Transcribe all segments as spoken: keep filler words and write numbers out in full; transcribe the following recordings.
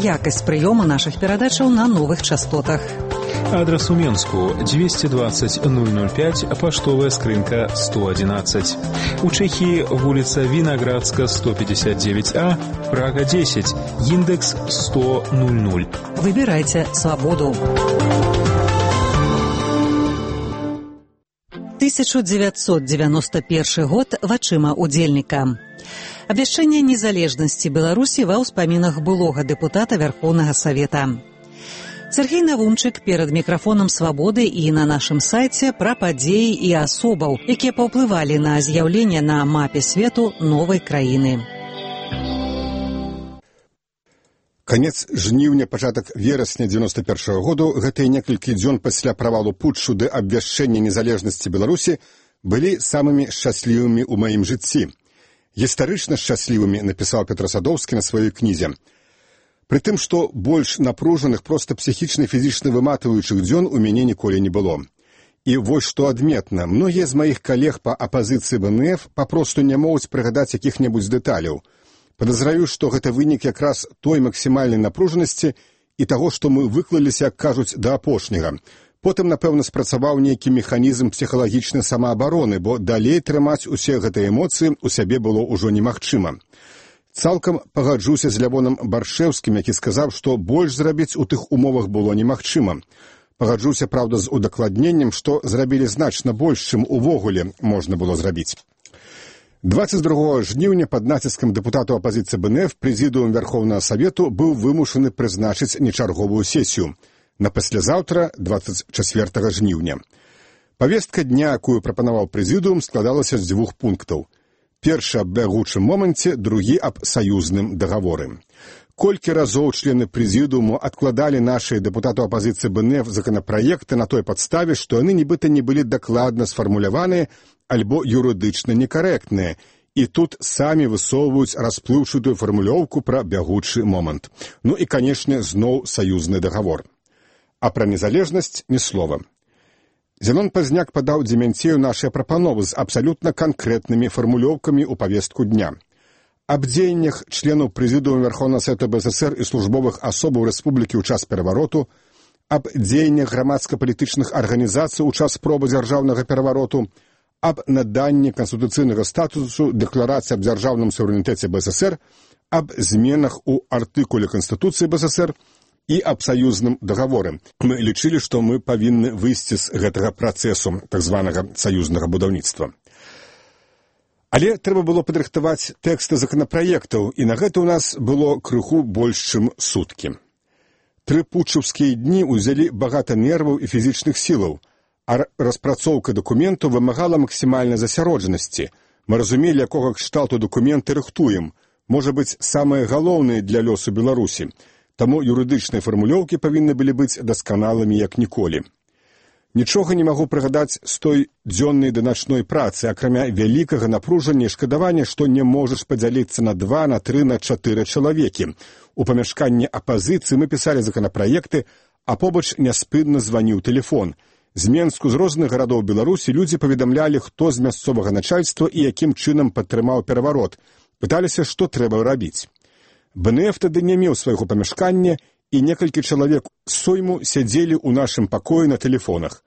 якасць прыёму нашых перадачаў на новых частотах. Адрес у Менску двести двадцать ноль ноль пять, поштовая скрынка сто одиннадцать. У Чехии улица Виноградска сто пятьдесят девять А, Прага десять, индекс сто ноль ноль. Выбирайте свободу. тысяча девятьсот девяносто первый год вачыма удзельніка. Абвяшчэнне незалежнасці Беларусі ва ўспамінах былога дэпутата Верховнага Савета. Сергей Навумчык перад мікрафонам «Свабоды» і на нашым сайце пра падзеі і асобаў, якія паўплывалі на з'яўленне на мапе свету новай краіны. Канец жніўня, пачатак верасня девяносто первого году, гэтыя некалькі дзён пасля правалу путчу ды абвяшчэння незалежнасці Беларусі былі самымі шчаслівымі ў маім жыцці. Гістарычна шчаслівымі, напісаў Петр Садоўскі на сваёй кнізе. Пры тым, што больш напружаных, проста псіхічна і фізічна выматваючых дзён у мяне ніколі не было. І вось што адметна, многія з маіх калег па апазіцыі бэ эн эф папросту не могуць прыгадаць якіх-небудзь дэталяў. Падазраю, што гэта вынік якраз той максімальнай напружанасці і таго, што мы выклаліся, як кажуць, да апошняга. Потым, напэўна, спрацаваў нейкі механізм псіхалагічнай самаабароны, бо далей трымаць усе гэтыя эмоцыі ў сябе было ўжо немагчыма. Цалкам пагаджуся з Лявонам Баршэўскім, які сказаў, што больш зрабіць у тых умовах было немагчыма. Пагаджуся, праўда, з удакладненнем, што зрабілі значна больш, чым увогуле можна было зрабіць. двадцать другого жніўня пад націскам дэпутатаў апазіцыі бэ эн эф прэзідыум Верховнага Савету быў вымушаны прызначыць нечарговую сесію на паслязаўтра, двадцать четвёртого жніўня. Павестка дня, якую прапанаваў прэзідыум, складалася з дзвюх пунктаў. Першы аб бягучым моманце, другі аб саюзным дагаворы. Колькі разоў члены прэзідыуму адкладалі нашыя дэпутаты апазіцыі бэ эн эф законапраекты на той падставе, што яны нібыта не былі дакладна сфармуляваныя альбо юрыдычна некарэктныя, і тут самі высоўваюць расплыўчатую фармулёўку пра бягучы момант. Ну і, канешне, зноў саюзны дагавор. А пра незалежнасць ні слова. Зенон Пазняк падаў Демянцею нашыя прапановы з абсалютна канкрэтнымі фармулёўкамі ў павестку дня. Аб дзеяннях членаў прэзідыума Верховнага Савета бэ эс эсэр і службовых асобаў рэспублікі ў час перавароту, аб дзеяннях грамадска-палітычных арганізацый ў час спробы дзяржаўнага перавароту, аб наданні канстытуцыйнага статусу дэкларацыі аб дзяржаўным суверэнітэце бэ эс эсэр, аб зменах у артыкуле Канстытуцыі бэ эс эсэр і аб саюзным дагаворы. Мы лічылі, што мы павінны выйсці з гэтага працэсу так званага саюзнага будаўніцтва. Але трэба было падрыхтаваць тэксты законапраектаў, і на гэта ў нас было крыху больш, чым суткі. Тры путчаўскія дні ўзялі багата нерваў і фізічных сілаў, а распрацоўка дакументу вымагала максімальнай засяроджанасці. Мы разумелі, якога кшталту дакументы рыхтуем, можа быць, самае галоўнае для лёсу Беларусі. Таму юрыдычныя фармулёўкі павінны былі быць дасканалымі як ніколі. Нічога не магу прыгадаць з той дзённай да начной працы, акрамя вялікага напружання і шкадавання, што не можаш падзяліцца на два, на тры, на чатыры чалавекі. У памяшканні апазіцыі мы пісалі законапраекты, а побач няспынна званіў тэлефон. З Менску, з розных гарадоў Беларусі людзі паведамлялі, хто з мясцовага начальства і якім чынам падтрымаў пераварот. Пыталіся, што трэба рабіць. бэ эн эф тады не меў свайго памяшкання, і некалькі чалавек з сойму сядзелі ў нашым пакоі на тэлефонах.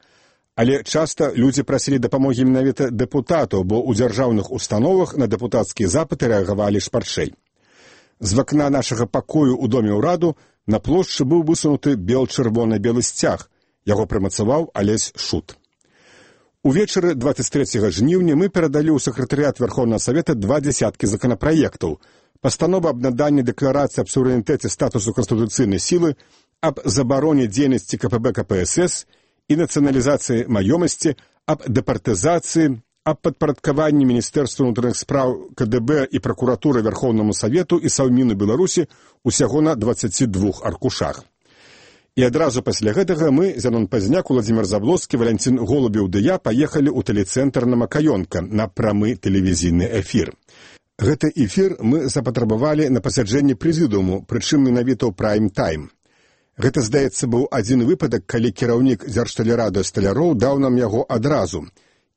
Але часта людзі прасілі дапамогі менавіта дэпутатаў, бо ў дзяржаўных установах на дэпутацкія запыты рэагавалі шпарчэй. З вакна нашага пакою ў доме ўраду на плошчы быў высунуты бел-чырвона-белы сцяг. Яго прымацаваў Алесь Шут. Увечары двадцать трэцяга жніўня мы перадалі ў сакратарыят Верховнага Савета два дзясяткі законапраектаў. Пастанова аб наданні дэкларацыі аб суверэнітэце статусу канстытуцыйнай сілы, аб забароне дзейнасці ка пэ бэ ка пэ эс эс і нацыяналізацыі маёмасці, аб дэпартызацыі, аб падпарадкаванні Міністэрства ўнутраных спраў ка дэ бэ і пракуратуры Верховнаму Савету і Саўміну Беларусі усяго на дваццаці двух аркушах. І адразу пасля гэтага мы, Зенон Пазняк, Уладзімір Заблоцкі, Валянцін Голубеў ды я паехалі ў тэлецэнтр на Макаёнка на прамы тэлевізійны эфір. Гэты эфір мы запатрабавалі на пасяджэнні прэзідыуму, прычым менавіта ў прайм-тайм. Гэта, здаецца, быў адзін выпадак, калі кіраўнік Дзяржтэлерадыё Сталяроў даў нам яго адразу.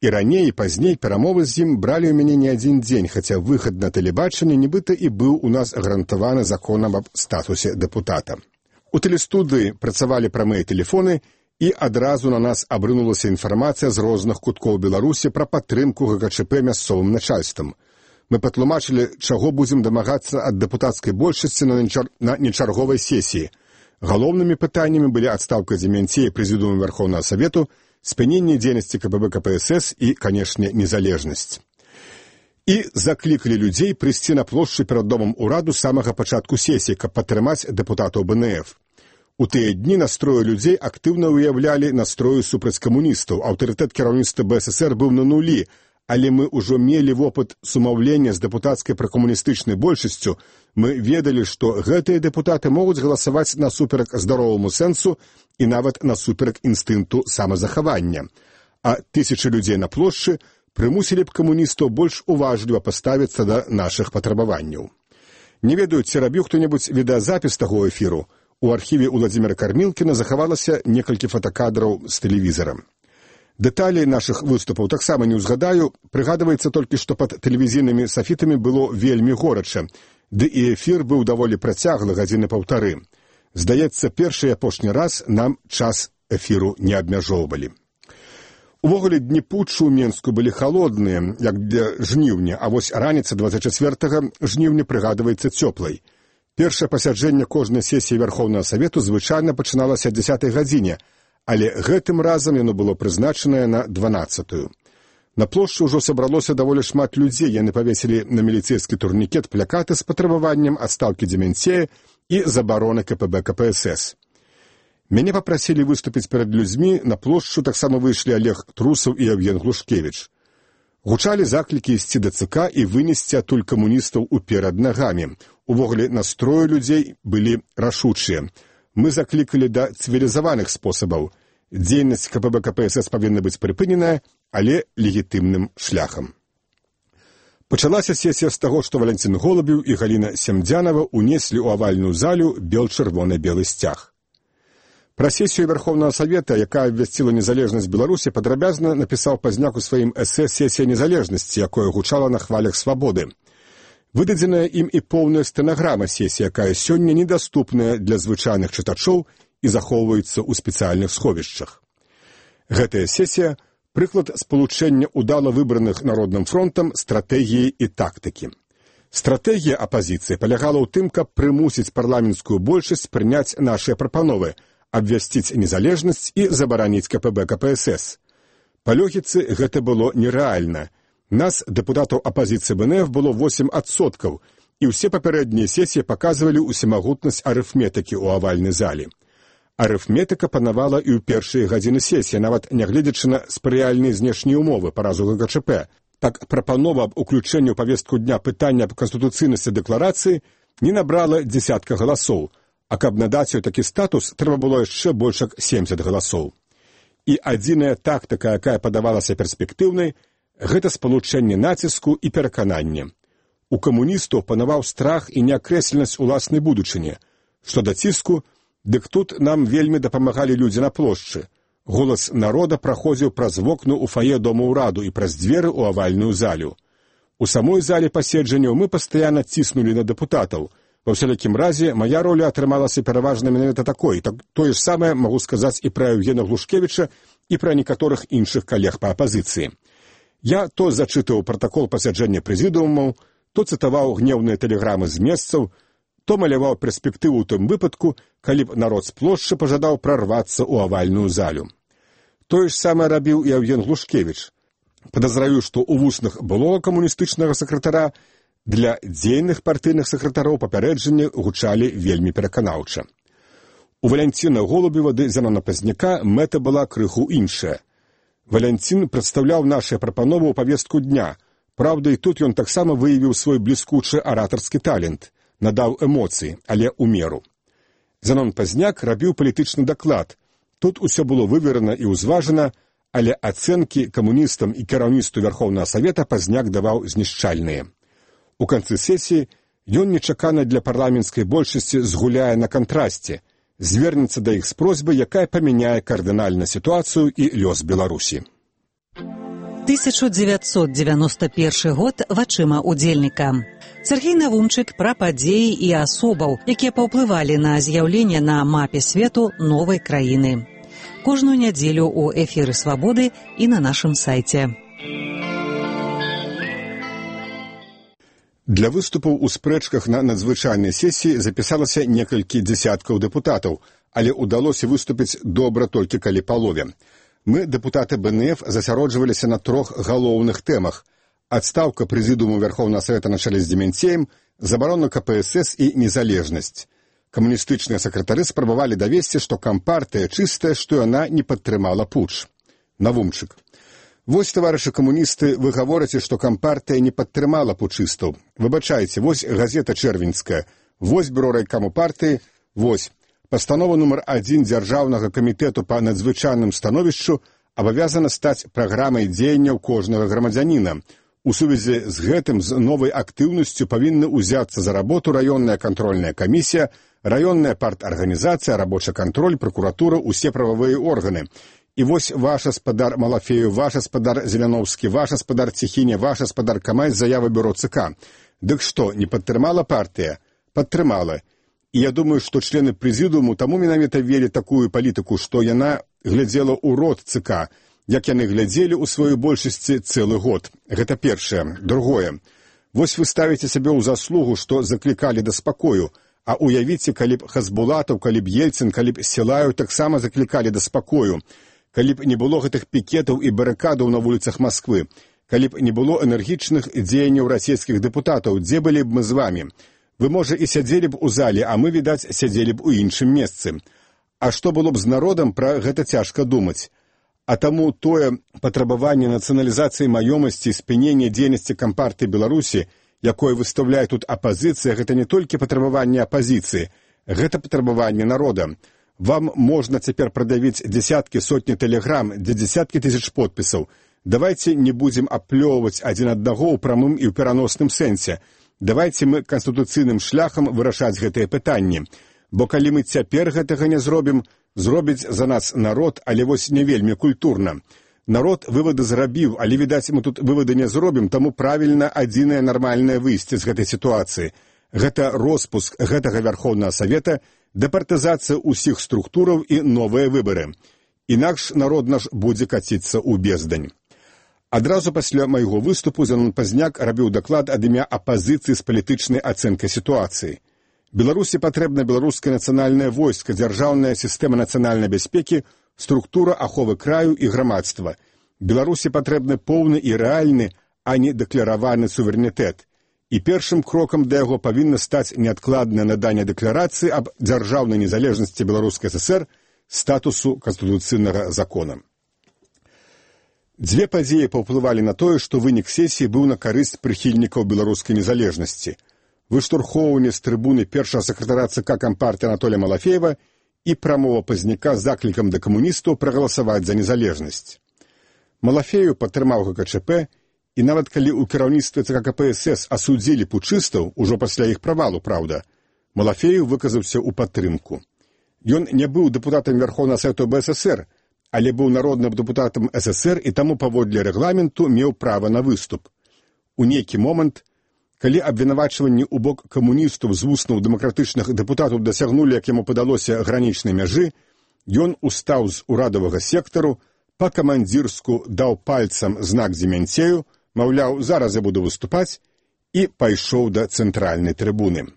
І раней, і пазней перамовы з ім бралі ў мяне не адзін дзень, хаця выхад на тэлебачанне нібыта і быў у нас гарантаваны законам аб статусе дэпутата. У тэлестудыі працавалі прамыя тэлефоны, і адразу на нас абрынулася інфармацыя з розных куткоў Беларусі пра падтрымку ГКЧП мясцовым начальствам. Мы патлумачылі, чаго будзем дамагацца ад дэпутацкай большасці на нечарговай сесіі. Галоўнымі пытаннямі былі адстаўка Дземянцея прэзідыума Верховнага Савету, спыненне дзейнасці КПБ КПСС і, канешне, незалежнасць. І заклікалі людзей прыйсці на плошчу перад домам ураду з самага пачатку сесіі, каб падтрымаць дэпутатаў БНФ. У тыя дні настроі людзей актыўна выяўлялі настрою супраць камуністаў. Аўтарытэт кіраўніцтва БССР быў на нулі, але мы ўжо мелі вопыт сумаўлення з дэпутацкай пракамуністычнай большасцю. Мы ведалі, што гэтыя дэпутаты могуць галасаваць насуперак здароваму сэнсу і нават насуперак інстынкту самазахавання. А тысячы людзей на плошчы прымусілі б камуністаў больш уважліва паставіцца да нашых патрабаванняў. Не ведаю, ці рабіў хто-небудзь відэазапіс таго эфіру. У архіве Уладзіміра Кармілкіна захавалася некалькі фотакадраў з тэлевізара. Дэталі нашых выступаў таксама не ўзгадаю, прыгадваецца толькі, што пад тэлевізійнымі сафітамі было вельмі горача, ды і эфір быў даволі працяглы, гадзіны паўтары. Здаецца, першы і апошні раз нам час эфіру не абмяжоўвалі. Увогуле, дні путчу ў Менску былі халодныя, як для жніўня, а вось раніца дваццаць чацвёртага жніўня прыгадваецца цёплай. Першае пасяджэнне кожнай сесіі Верховнага Савету звычайна пачыналася о дзесятай гадзіне, але гэтым разам яно было прызначанае на дванаццатую. На плошчы ўжо сабралося даволі шмат людзей, яны павесілі на міліцэйскі турнікет плакаты з патрабаваннем адстаўкі Дземянцея і забароны КПБ КПСС. Мяне папрасілі выступіць перад людзьмі, на плошчу таксама выйшлі Олег Трусаў і Евген Глушкевіч. Гучалі заклікі ісці да ЦК і вынесці адтуль камуністаў уперад нагамі. Увогуле, настроі людзей былі рашучыя. Мы заклікалі да цывілізаваных спосабаў. Дзейнасць КПБ КПСС павінна быць прыпыненая, але легітымным шляхам. Пачалася сесія з таго, што Валянцін Голубеў і Галіна Семдзянова унеслі ў авальную залю бел-чырвона-белы сцяг. Пра сесію Верховнага Савета, якая абвясціла незалежнасць Беларусі, падрабязна напісаў пазняк у сваім эсэ «Сесія незалежнасці», якое гучала на хвалях свабоды. Выдадзеная ім і поўная стэнаграма сесіі, якая сёння недаступная для звычайных чытачоў і захоўваецца ў спецыяльных сховішчах. Гэтая сесія – прыклад спалучэння ўдала выбраных Народным фронтам стратэгіі і тактыкі. Стратэгія апазіцыі палягала ў тым, каб прымусіць парламенцкую большасць прыняць нашыя прапановы, абвясціць незалежнасць і забараніць КПБ КПСС. Па логіцы гэта было нерэальна. Нас, дэпутатаў апазіцыі БНФ, было восем адсоткаў, і ўсе папярэднія сесіі паказвалі усімагутнасць арыфметыкі ў авальнай залі. Арыфметыка панавала і ў першыя гадзіны сесіі, нават нягледзячы на спрыяльныя знешнія ўмовы па разу ГКЧП. Так прапанова аб уключэнні ў павестку дня пытання аб канстытуцыйнасці дэкларацыі не набрала дзесятка галасоў, а каб надаць ёй такі статус, трэба было яшчэ больш як семдзесят галасоў. І адзіная тактыка, якая падавалася перспектыўнай, гэта спалучэнне націску і пераканання. У камуністаў панаваў страх і неакрэсленасць уласнай будучыні. Што да ціску, дык тут нам вельмі дапамагалі людзі на плошчы. Голас народа праходзіў праз вокны ў фае дома ўраду і праз дзверы ў авальную залю. У самой зале паседжанняў мы пастаянна ціснулі на дэпутатаў. Ва ўсялякім разе, мая роля атрымалася пераважна менавіта такой. Так, тое ж самае магу сказаць і пра Евгена Глушкевіча, і пра некаторых іншых калег па апазіцыі. Я то зачытываў пратакол пасяджэння прэзідыумаў, то цытаваў гнеўныя тэлеграмы з месцаў, то маляваў перспектыву ў тым выпадку, калі б народ з плошчы пажадаў прарвацца ў авальную залю. Тое ж самае рабіў і Евген Глушкевіч. Падазраю, што ў вуснах былога камуністычнага сакратара для дзейных партыйных сакратароў папярэджанні гучалі вельмі пераканаўча. У Валянціна Голубева ды Зянона Пазняка мэта была крыху іншая. Валянцін прадстаўляў нашыя прапановы ў павестку дня. Праўда, і тут ён таксама выявіў свой бліскучы аратарскі талент, надаў эмоцыі, але ў меру. Зянон Пазняк рабіў палітычны даклад. Тут усё было выверана і ўзважана, але ацэнкі камуністам і кіраўніцтву Верховнага Савета Пазняк даваў знішчальныя. У канцы сесіі ён нечакана для парламенцкай большасці згуляе на кантрасце, звернецца да іх з просьбай, якая памяняе кардынальна сітуацыю і лёс Беларусі. тысяча девятьсот девяносто первый год вачыма удзельніка. Сергей Навумчык пра падзеі і асобаў, якія паўплывалі на з'яўленне на мапе свету новай краіны. Кожную нядзелю у эфіры «Свабоды» і на нашым сайце. Для выступаў у спрэчках на надзвычайнай сесіі запісалася некалькі дзясяткаў дэпутатаў, але ўдалося выступіць добра толькі калі палове. Мы, дэпутаты бэ эн эф, засяроджваліся на трох галоўных тэмах: адстаўка прэзідыуму Верховнага Савета на чале з Деменцеем, забарона ка пэ эс эс і незалежнасць. Камуністычныя сакратары спрабавалі давесці, што кампартыя чыстая, што яна не падтрымала путч. Навумчык: вось, таварышы камуністы, вы гаворыце, што кампартыя не падтрымала путчыстаў. Выбачайце, вось газета «Чэрвеньская», вось бюро райкаму партыі, вось пастанова нумар адзін Дзяржаўнага камітэту па надзвычайным становішчу абавязана стаць праграмай дзеянняў кожнага грамадзяніна. У сувязі з гэтым з новай актыўнасцю павінны ўзяцца за работу раённая кантрольная камісія, раённая парт-арганізацыя, рабочы кантроль, пракуратура, усе прававыя органы. І вось ваш гаспадар Малафею, ваш гаспадар Зеляновскі, ваш гаспадар Ціхіне, ваш гаспадар Камай з заявы бюро ЦК. Дык што, не падтрымала партыя? Падтрымала. І я думаю, што члены прэзідыуму таму менавіта вели такую палітыку, што яна глядзела ў рот ЦК, як яны глядзелі ў сваёй большасці цэлы год. Гэта першае. Другое. Вось вы ставіце сябе ў заслугу, што заклікалі да спакою, а уявіце, калі б Хасбулатаў, калі б Ельцын, калі б Сілаю таксама заклікалі да спакою, калі б не было гэтых пікетаў і барыкадаў на вуліцах Масквы, калі б не было энергічных дзеянняў расійскіх дэпутатаў, дзе былі б мы з вамі? Вы, можа, і сядзелі б у зале, а мы, відаць, сядзелі б у іншым месцы. А што было б з народам, пра гэта цяжка думаць. А таму тое патрабаванне нацыяналізацыі маёмасці, спынення дзейнасці кампартыі Беларусі, якое выстаўляе тут апазіцыя, гэта не толькі патрабаванне апазіцыі, гэта патрабаванне народа. Вам можна цяпер прадавіць дзесяткі, сотні тэлеграм, дзе дзесяткі тысяч подпісаў. Давайце не будзем аплёўваць адзін аднаго ў прамым і ў пераносным сэнсе. Давайце мы канстытуцыйным шляхам вырашаць гэтыя пытанні. Бо калі мы цяпер гэтага не зробім, зробіць за нас народ, але вось не вельмі культурна. Народ вывады зрабіў, але, відаць, мы тут вывады не зробім, таму правільна адзінае нармальнае выйсце з гэтай сітуацыі. Гэта роспуск гэтага Верховнага Савета, дэпартызацыя ўсіх структураў і новыя выбары. Інакш народ наш будзе каціцца ў бездань. Адразу пасля майго выступу Зенон Пазняк рабіў даклад ад імя апазіцыі з палітычнай ацэнкай сітуацыі. Беларусі патрэбна беларускае нацыянальнае войска, дзяржаўная сістэма нацыянальнай бяспекі, структура аховы краю і грамадства. Беларусі патрэбны поўны і рэальны, а не дэклараваны суверэнітэт. І першым крокам да яго павінна стаць неадкладнае наданне дэкларацыі аб дзяржаўнай незалежнасці Беларускай ССР статусу канстытуцыйнага закона. Дзве падзеі паўплывалі на тое, што вынік сесіі быў на карысць прыхільнікаў беларускай незалежнасці. Выштурхоўванне з трыбуны першага сакратара ЦК Кампартыі Анатолія Малафеева і прамова Пазняка з заклікам да камуністаў прагаласаваць за незалежнасць. Малафеев падтрымаў гэ ка чэ пэ, і нават калі ў кіраўніцтве ЦК ка пэ эс эс асудзілі путчыстаў, ужо пасля іх правалу, праўда, Малафеев выказаўся ў падтрымку. Ён не быў дэпутатам Верховнага Савета бэ эс эс эр, але быў народным дэпутатам эс эс эр і таму паводле рэгламенту меў права на выступ. У нейкі момант, калі абвінавачванні ў бок камуністаў з вуснаў дэмакратычных дэпутатаў дасягнулі, як яму падалося, гранічнай мяжы, ён устаў з урадавага сектару, па-камандзірску даў пальцам знак Деменцею, маўляў, зараз я буду выступаць, і пайшоў да цэнтральнай трыбуны.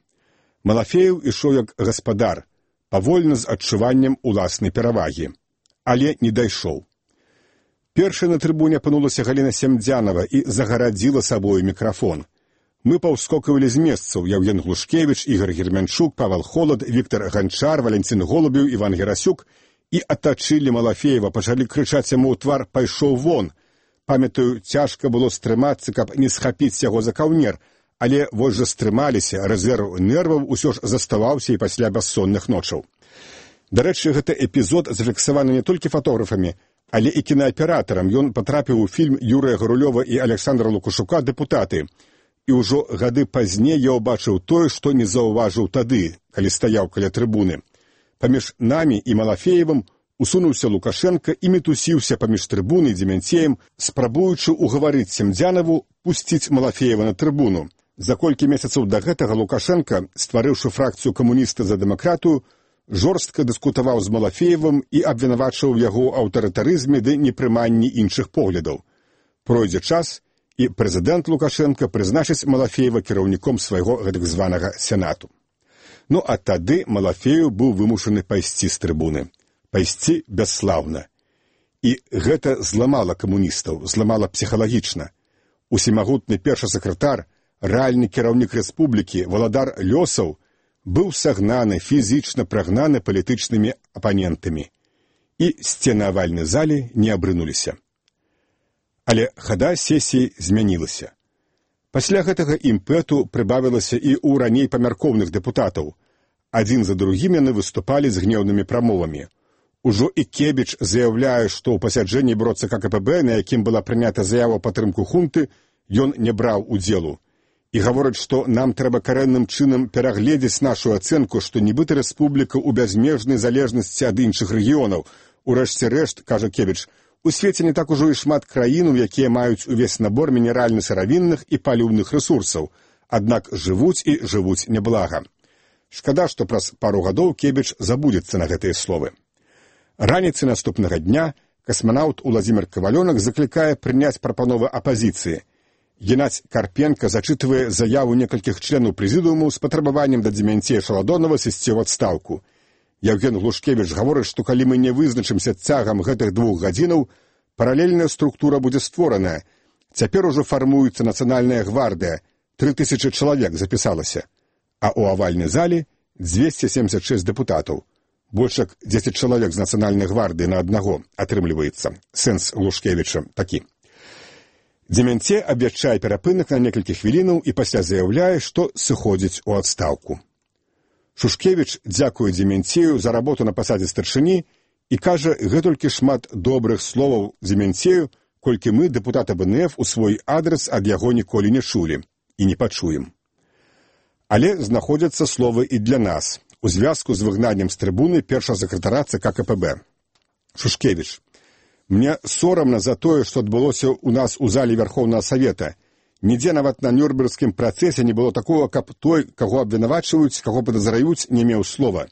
Малафеев ішоў як гаспадар, павольна з адчуваннем уласнай перавагі. Але не дайшоў. Першай на трыбуне апынулася Галіна Семдзянова і загарадзіла сабою мікрафон. Мы паўскокавалі з месцаў: Яўген Глушкевіч, Ігор Гермянчук, Павел Холод, Віктор Ганчар, Валентин Голубеў, Іван Герасюк і атачылі Малафеева, пачалі крычаць яму ў твар: «Пайшоў вон!». Памятаю, цяжка было стрымацца, каб не схапіць яго за каўнер, але вось жа стрымаліся, рэзерв нерваў усё ж заставаўся і пасля бяссонных ночаў. Дарэчы, гэты эпізод зафіксаваны не толькі фатографамі, але і кінааператарам. Ён патрапіў у фільм Юрыя Гарулёва і Александра Лукашука «Дэпутаты». І ўжо гады пазней я ўбачыў тое, што не заўважыў тады, калі стаяў каля трыбуны. Паміж намі і Малафеевым усунуўся Лукашенко і мітусіўся паміж трыбунай і Демянцеем, спрабуючы угаварыць Семдзянаву пусціць Малафеева на трыбуну. За колькі месяцаў да гэтага Лукашенко, стварыўшы фракцыю камуніста за дэмакратыю, жорстка дыскутаваў з Малафеевым і абвінавачваў яго аўтарытарызме ды непрыманні іншых поглядаў. Пройдзе час, і прэзідэнт Лукашенко прызначыць Малафеева кіраўніком свайго гэтак званага сенату. Ну а тады Малафеев быў вымушаны пайсці з трыбуны. Пайсці бясслаўна. І гэта зламала камуністаў, зламала псіхалагічна. Усемагутны першы сакратар, рэальны кіраўнік рэспублікі, валадар лёсаў, быў сагнаны, фізічна прагнаны палітычнымі апанентамі. І сцены авальнай залі не абрынуліся. Але хада сесіі змянілася. Пасля гэтага імпэту прыбавілася і ў раней памяркоўных дэпутатаў. Адзін за другім яны выступалі з гнеўнымі прамовамі. Ужо і Кебіч заяўляе, што ў пасяджэнні бюро ЦК КПБ, на якім была прынята заява ў падтрымку хунты, ён не браў удзелу. І гаворыць, што нам трэба карэнным чынам перагледзець нашу ацэнку, што нібыта рэспубліка ў бязмежнай залежнасці ад іншых рэгіёнаў. Урэшце рэшт, кажа Кебіч, у свеце не так ужо і шмат краінаў, якія маюць увесь набор мінеральна-сыравінных і паліўных рэсурсаў, аднак жывуць і жывуць няблага. Шкада, што праз пару гадоў Кебіч забудзецца на гэтыя словы. Раніцай наступнага дня касманаўт Уладзімір Кавалёнак заклікае прыняць прапановы апазіцыі. Геннадзь Карпенка зачытвае заяву некалькіх членаў прэзідыуму з патрабаваннем да Демянцея Шаладонова сысці ў адстаўку. Яўген Глушкевіч гаворыць, што калі мы не вызначымся цягам гэтых двух гадзінаў, паралельная структура будзе створаная. Цяпер ужо фармуецца нацыянальная гвардыя, тры тысячы чалавек запісалася, а ў авальнай зале дзвесце семдзесят шэсць дэпутатаў. Больш як дзесяць чалавек з нацыянальнай гвардыі на аднаго атрымліваецца. Сэнс Глушкевіча такі. Демянцей абвяшчае перапынак на некалькі хвілінаў і пасля заяўляе, што сыходзіць у адстаўку. Шушкевіч дзякуе Демянцею за работу на пасадзе старшыні і кажа гэтулькі шмат добрых словаў Демянцею, колькі мы, дэпутата БНФ, у свой адрас ад яго ніколі не чулі і не пачуем. Але знаходзяцца словы і для нас у звязку з выгнаннем з трыбуны першага сакратара ЦК КПБ. Шушкевіч. Мне сорамна за тое, што адбылося ў нас у зале Вярхоўнага Савета. Нідзе нават на Нюрнбергскім працэсе не было такого, каб той, каго абвінавачваюць, каго падазраюць, не меў слова.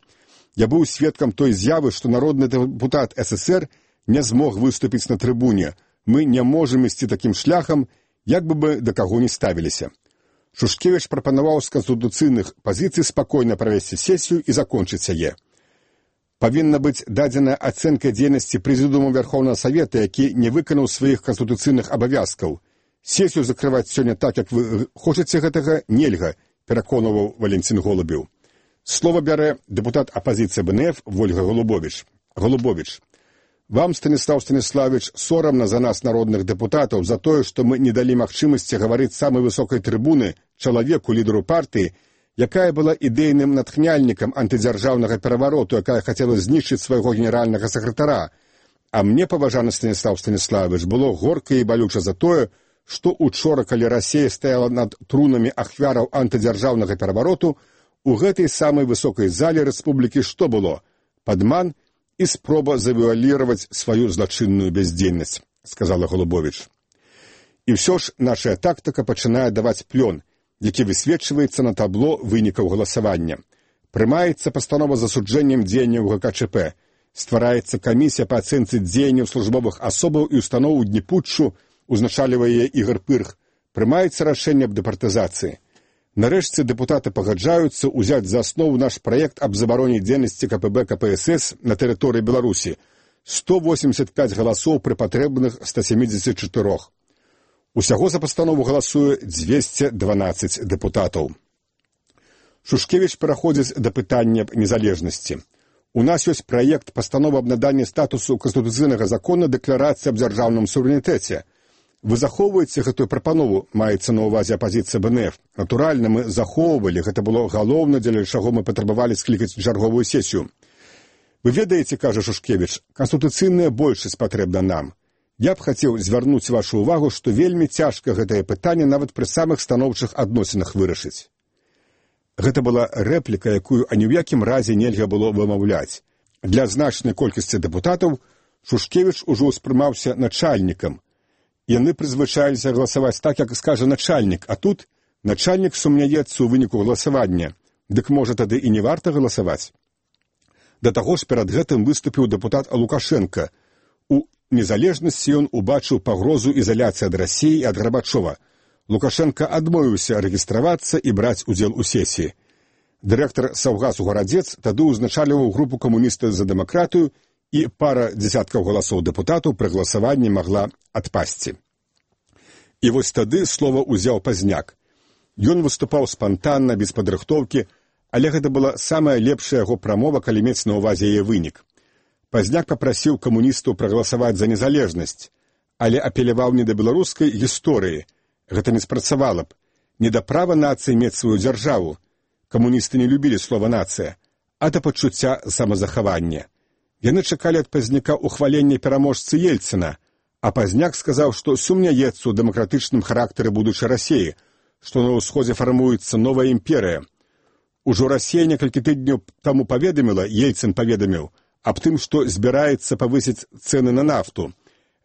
Я быў сведкам той з'явы, што народны дэпутат СССР не змог выступіць на трыбуне. Мы не можам ісці такім шляхам, як бы бы да каго не ставіліся. Шушкевіч прапанаваў з канстытуцыйных пазіцый спакойна правесці сесію і закончыць яе. Павінна быць дадзеная ацэнка дзейнасці прэзідыуму Вярхоўнага Савета, які не выканаў сваіх канстытуцыйных абавязкаў. Сесію закрываць сёння так, як вы хочаце гэтага, нельга, пераконваў Валентин Голубеў. Слова бярэ дэпутат апазіцыі БНФ Вольга Голубович. Голубович. Вам, Станіслав Станіславович, сорамна за нас, народных дэпутатаў, за тое, што мы не далі магчымасці гаварыць самай высокай трыбуны чалавеку, лідару партыі, якая была ідэйным натхняльнікам антыдзяржаўнага перавароту, якая хацела знішчыць свайго генеральнага сакратара. А мне, паважаны Станіслав Станіславович, было горка і балюча за тое, што учора, калі Расія стаяла над трунамі ахвяраў антыдзяржаўнага перавароту, у гэтай самай высокай зале рэспублікі што было? Падман і спроба завуаліраваць сваю злачынную бяздзейнасць, сказала Голубович. І ўсё ж наша тактыка пачынае даваць плён, які высвечваецца на табло вынікаў галасавання. Прымаецца пастанова з засуджэннем дзеянняў ГКЧП, ствараецца камісія па ацэнцы дзеянняў службовых асобаў і устаноў у дні путчу, узначальвае Ігор Пырх, прымаецца рашэнне аб дэпартызацыі. Нарэшце дэпутаты пагаджаюцца ўзяць за аснову наш праект аб забароне дзейнасці КПБ КПСС на тэрыторыі Беларусі. сто восемьдесят пять галасоў пры патрэбных ста семидесяти четырёх. Усяго за пастанову галасуе двести дванадцать дэпутатаў. Шушкевіч пераходзіць да пытання незалежнасці. У нас ёсць праект пастановы аб наданні статусу канстытуцыйнага закона дэкларацыі аб дзяржаўным суверэнітэце. Вы захоўваеце гэтую прапанову, маецца на ўвазе апазіцыя БНФ. Натуральна, мы захоўвалі, гэта было галоўна, дзеля чаго мы патрабавалі склікаць чарговую сесію. Вы ведаеце, кажа Шушкевіч, канстытуцыйная большасць патрэбна нам. Я б хацеў звярнуць вашу ўвагу, што вельмі цяжка гэтае пытанне нават пры самых станоўчых адносінах вырашыць. Гэта была рэпліка, якую ані ў якім разе нельга было вымаўляць. Для значнай колькасці дэпутатаў Шушкевіч ужо ўспрымаўся начальнікам. Яны прызвычаіліся галасаваць так, як скажа начальнік, а тут начальнік сумняецца ў выніку галасавання. Дык можа тады і не варта галасаваць. Да таго ж перад гэтым выступіў дэпутат Лукашенка. У незалежнасці ён убачыў пагрозу ізаляцыі ад Расіі і ад Гарбачова. Лукашенка адмовіўся рэгістравацца і браць удзел у сесіі. Дырэктар Саўгасу Гарадзец тады ўзначальваў групу камуністаў за дэмакратыю, і пара дзесяткаў галасоў дэпутатаў пры галасаванні магла адпасці. І вось тады слова ўзяў Пазняк. Ён выступаў спантанна, без падрыхтоўкі, але гэта была самая лепшая яго прамова, калі мець на ўвазе яе вынік. Пазняк папрасіў камуністаў прагаласаваць за незалежнасць, але апеляваў не да беларускай гісторыі. Гэта не спрацавала б. Не да права нацыі мець сваю дзяржаву. Камуністы не любілі слова «нацыя», а да пачуцця самазахавання. Яны чакалі ад Пазняка ухвалення пераможцы Ельцына, а Пазняк сказаў, што сумняецца ў дэмакратычным характары будучай Расіі, што на ўсходзе фармуецца новая імперыя. Ужо Расія некалькі тыдняў таму паведаміла, Ельцын паведаміў, аб тым, што збіраецца павысіць цэны на нафту.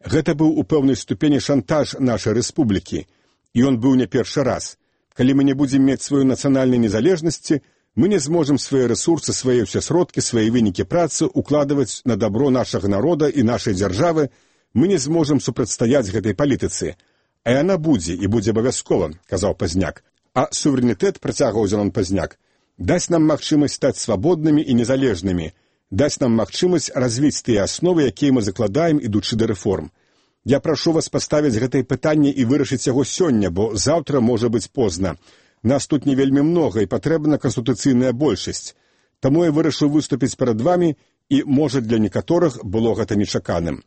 Гэта быў у пэўнай ступені шантаж нашай рэспублікі, і ён быў не першы раз. Калі мы не будзем мець сваю нацыянальнай незалежнасці, мы не зможам свае рэсурсы, свае ўсе сродкі, свае вынікі працы укладваць на дабро нашага народа і нашай дзяржавы, мы не зможам супрацьстаяць гэтай палітыцы. А яна будзе, і будзе абавязкова, казаў Пазняк. А суверэнітэт, працягваў Зенон Пазняк, дасць нам магчымасць стаць свабоднымі і незалежнымі, дасць нам магчымасць развіць тыя асновы, якія мы закладаем, ідучы да рэформ. Я прашу вас паставіць гэтае пытанне і вырашыць яго сёння, бо заўтра можа быць позна. Нас тут не вельмі многа і патрэбна канстытуцыйная большасць. Таму я вырашыў выступіць перад вамі, і, можа, для некаторых было гэта нечаканым.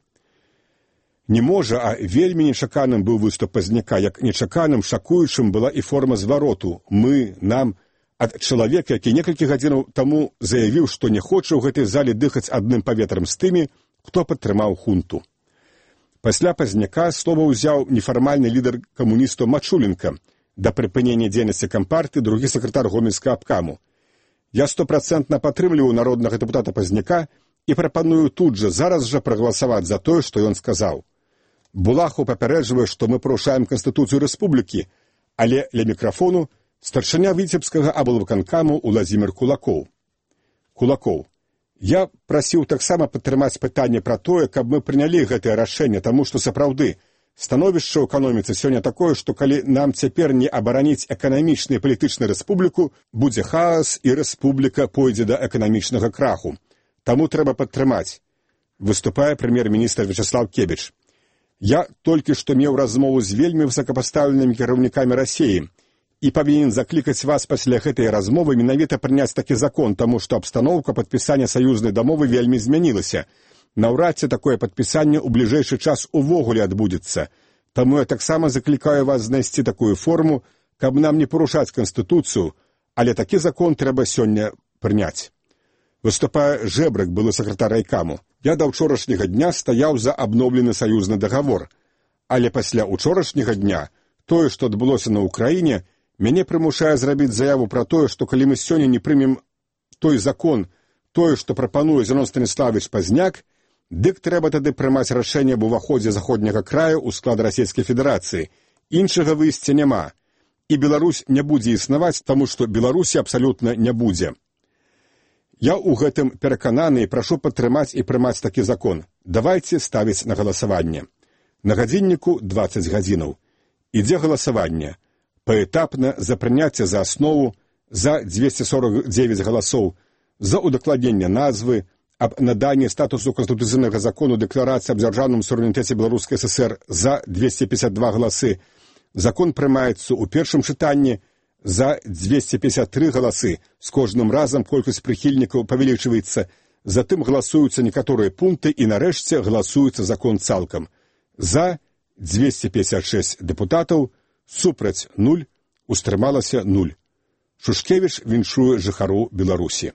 Не можа, а вельмі нечаканым быў выступ Пазняка, як нечаканым, шакуючым была і форма звароту «мы», «нам» ад чалавека, які некалькі гадзінаў таму заявіў, што не хоча ў гэтай зале дыхаць адным паветрам з тымі, хто падтрымаў хунту. Пасля Пазняка слова ўзяў нефармальны лідар камуністаў Мачуленка, да прыпынення дзейнасці кампартыі другі сакратар гомельскага абкаму. Я стопрацэнтна падтрымліваю народнага дэпутата Пазняка і прапаную тут жа зараз жа прагаласаваць за тое, што ён сказаў. Булахаў папярэджвае, што мы парушаем Канстытуцыю рэспублікі, але ля мікрафону старшыня віцебскага аблвыканкаму Уладзімір Кулакоў. Кулакоў. Я прасіў таксама падтрымаць пытанне пра тое, каб мы прынялі гэтае рашэнне, таму што сапраўды становішча ў эканоміцы сёння такое, што калі нам цяпер не абараніць эканамічную і палітычную рэспубліку, будзе хаос і рэспубліка пойдзе да эканамічнага краху. Таму трэба падтрымаць. Выступае прэм'ер-міністр Вячаслав Кебіч. Я толькі што меў размову з вельмі высокапастаўленымі кіраўнікамі Расіі і павінен заклікаць вас пасля гэтай размовы менавіта прыняць такі закон, таму што абстаноўка падпісання саюзнай дамовы вельмі змянілася. Наўрад ці такое падпісанне ў бліжэйшы час увогуле адбудзецца. Таму я таксама заклікаю вас знайсці такую форму, каб нам не парушаць Канстытуцыю, але такі закон трэба сёння прыняць. Выступае Жэбрык, былы сакратар райкаму. Я да ўчорашняга дня стаяў за абноўлены саюзны дагавор. Але пасля ўчорашняга дня тое, што адбылося на Ўкраіне, мяне прымушае зрабіць заяву пра тое, што калі мы сёння не прымем той закон, тое, што прапануе Зенон Станіславович Пазняк, дык трэба тады прымаць рашэнне аб уваходзе заходняга краю ў склад Расійскай Федэрацыі. Іншага выйсця няма. І Беларусь не будзе існаваць, таму што Беларусі абсалютна не будзе. Я ў гэтым перакананы і прашу падтрымаць і прымаць такі закон. Давайце ставіць на галасаванне. На гадзінніку дваццаць гадзінаў. Ідзе галасаванне. Паэтапна за прыняцце за аснову, за дзвесце сорак дзевяць галасоў, за удакладненне назвы, аб наданні статусу канстытуцыйнага закону дэкларацыі аб дзяржаўным суверэнітэце Беларускай ССР за дзвесце пятьдесят два галасы. Закон прымаецца ў першым чытанні за дзвесце пятьдесят три галасы. З кожным разам колькасць прыхільнікаў павялічваецца. Затым галасуюцца некаторыя пункты і нарэшце галасуецца закон цалкам. За дзвесце пятьдесят шесть дэпутатаў, супраць нуль, устрымалася нуль. Шушкевіч віншуе жыхару Беларусі.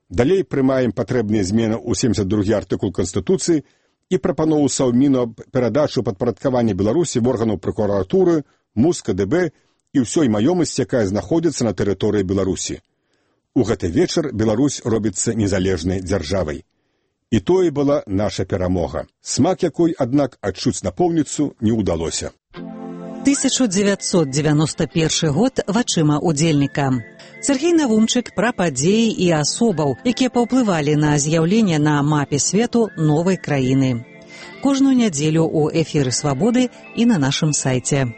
Далей прымаем патрэбныя змены ў семьдесят другі артыкул Канстытуцыі і прапанову Саўміну аб перадачу падпарадкавання Беларусі в органаў прокуратуры, МУС, КДБ і ўсёй маёмасці, якая знаходзіцца на тэрыторыі Беларусі. У гэты вечар Беларусь робіцца незалежнай дзяржавай. І тое была наша перамога, смак якой, аднак, адчуць напоўніцу не ўдалося. тысяча дзевяцьсот девяносто первый год вачыма удзельніка. Сергей Навумчык пра падзеі і асобаў, якія паўплывалі на з'яўленне на мапе свету новай краіны. Кожную нядзелю ў эфіры «Свабоды» і на нашым сайце.